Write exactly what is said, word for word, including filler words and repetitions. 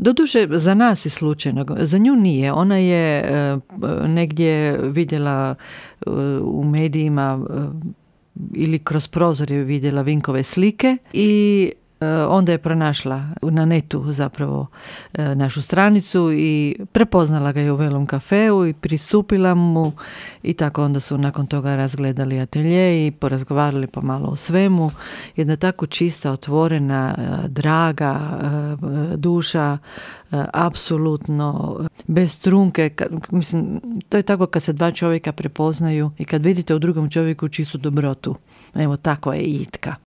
Doduše, za nas je slučajno, za nju nije. Ona je negdje vidjela u medijima ili kroz prozor je vidjela Vinkove slike i onda je pronašla na netu zapravo našu stranicu i prepoznala ga je u Velom kafeu i pristupila mu i tako onda su nakon toga razgledali atelje i porazgovarali pomalo o svemu. Jedna tako čista, otvorena, draga duša, apsolutno bez trunke. Mislim, to je tako kad se dva čovjeka prepoznaju i kad vidite u drugom čovjeku čistu dobrotu. Evo, takva je Jitka.